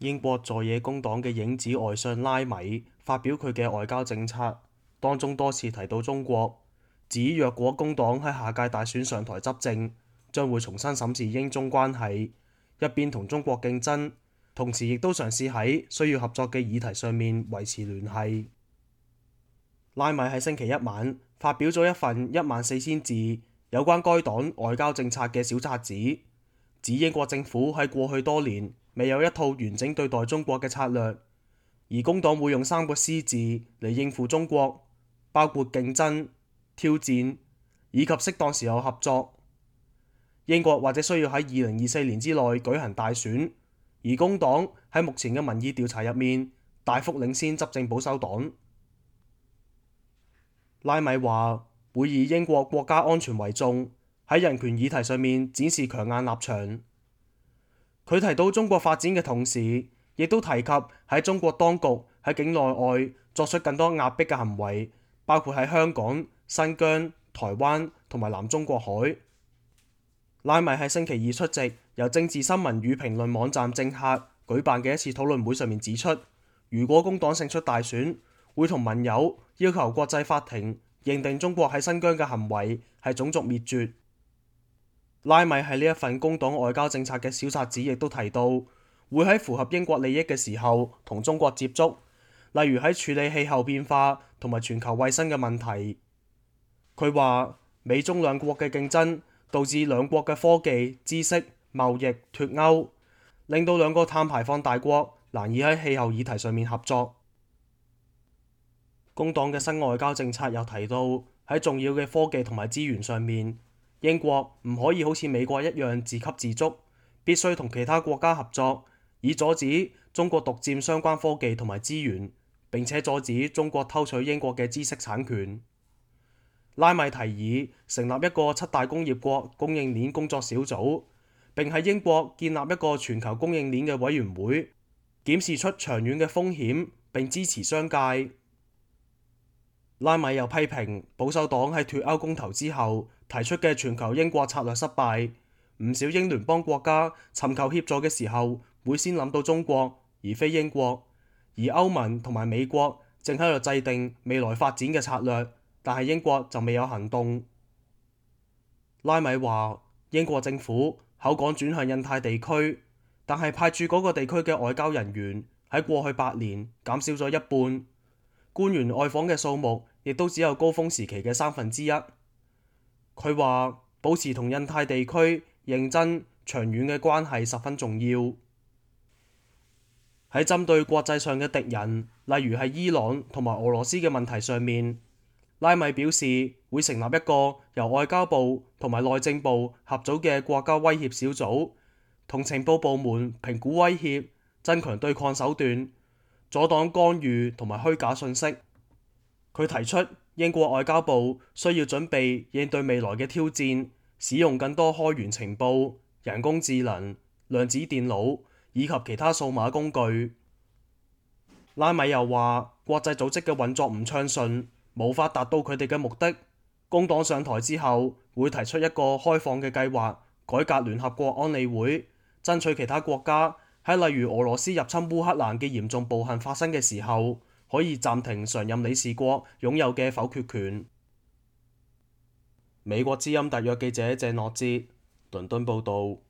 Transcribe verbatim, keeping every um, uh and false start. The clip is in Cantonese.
英國在野工黨嘅影子外相拉米發表佢嘅外交政策，當中多次提到中國，指若果工黨喺下屆大選上台執政，將會重新審視英中關係，一邊同中國競爭，同時亦都嘗試喺需要合作嘅議題上面維持聯繫。拉米喺星期一晚發表咗一份一萬四千字有關該黨外交政策嘅小冊子，指英國政府喺過去多年未有一套完整對待中國嘅策略，而工黨會用三個 C 字嚟應付中國，包括競爭、挑戰以及適當時候合作。英國或者需要喺二零二四年之內舉行大選，而工黨喺目前嘅民意調查入面大幅領先執政保守黨。拉米話會以英國國家安全為重，喺人權議題上面展示強硬立場。佢提到中國發展嘅同時，亦都提及喺中國當局喺境內外作出更多壓迫嘅行為，包括喺香港、新疆、台灣同埋南中國海。拉米喺星期二出席由政治新聞與評論網站政客舉辦嘅一次討論會上面指出，如果工黨勝出大選，會同盟友要求國際法庭認定中國喺新疆嘅行為係種族滅絕。拉米喺呢一份工黨外交政策嘅小冊子亦都提到，會喺符合英國利益嘅時候同中國接觸，例如喺處理氣候變化同埋全球衛生嘅問題。佢話美中兩國嘅競爭導致兩國嘅科技、知識、貿易脫鈎，令到兩個碳排放大國難以喺氣候議題上面合作。工黨嘅新外交政策又提到喺重要嘅科技同埋資源上面，英國唔可以好似美國一樣自給自足，必須同其他國家合作，以阻止中國獨佔相關科技同埋資源，並且阻止中國偷取英國嘅知識產權。拉米提議成立一個七大工業國供應鏈工作小組，並喺英國建立一個全球供應鏈嘅委員會，檢視出長遠嘅風險並支持商界。拉米又批評保守黨喺脫歐公投之後提出嘅全球英國策略失敗，唔少英聯邦國家尋求協助嘅時候會先諗到中國而非英國，而歐盟同埋美國正喺度制定未來發展嘅策略，但係英國就未有行動。拉米話英國政府口講轉向印太地區，但係派駐嗰個地區嘅外交人員喺過去八年減少咗一半，官員外訪嘅數目亦都只有高峰時期嘅三分之一。佢話保持同印太地區認真長遠嘅關係十分重要。喺針對國際上嘅敵人，例如係伊朗同埋俄羅斯嘅問題上面，拉米表示會成立一個由外交部同埋內政部合組嘅國家威脅小組，同情報部門評估威脅，增強對抗手段，阻擋干預同埋虛假信息。佢提出英國外交部需要準備應對未來嘅挑戰，使用更多開源情報、人工智能、量子電腦以及其他數碼工具。拉米又話國際組織嘅運作唔暢順，無法達到佢哋嘅目的。工黨上台之後會提出一個開放嘅計劃，改革聯合國安理會，爭取其他國家喺例如俄羅斯入侵烏克蘭嘅嚴重暴行發生嘅時候，可以暫停常任理事國擁有嘅否決權。美國之音特約記者謝諾哲，倫敦報導。